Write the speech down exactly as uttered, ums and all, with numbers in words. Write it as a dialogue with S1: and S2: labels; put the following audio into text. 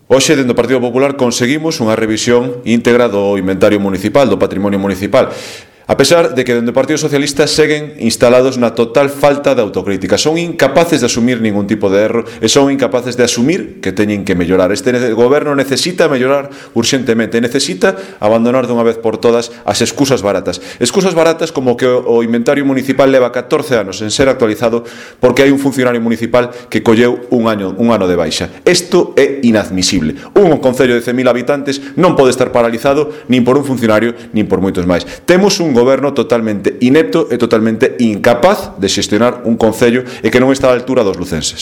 S1: Hoxe, dentro do Partido Popular, conseguimos unha revisión íntegra do inventario municipal, do patrimonio municipal. A pesar de que dentro do Partido Socialista seguen instalados na total falta de autocrítica. Son incapaces de asumir ningún tipo de erro e son incapaces de asumir que teñen que mellorar. Este goberno necesita mellorar urxentemente, necesita abandonar dunha vez por todas as excusas baratas. Excusas baratas como que o inventario municipal leva catorce anos en ser actualizado porque hai un funcionario municipal que colleu un ano, un ano de baixa. Isto é inadmisible. Un concello de cen mil habitantes non pode estar paralizado nin por un funcionario nin por moitos máis. Temos un goberno totalmente inepto e totalmente incapaz de xestionar un concello e que non está á altura dos lucenses.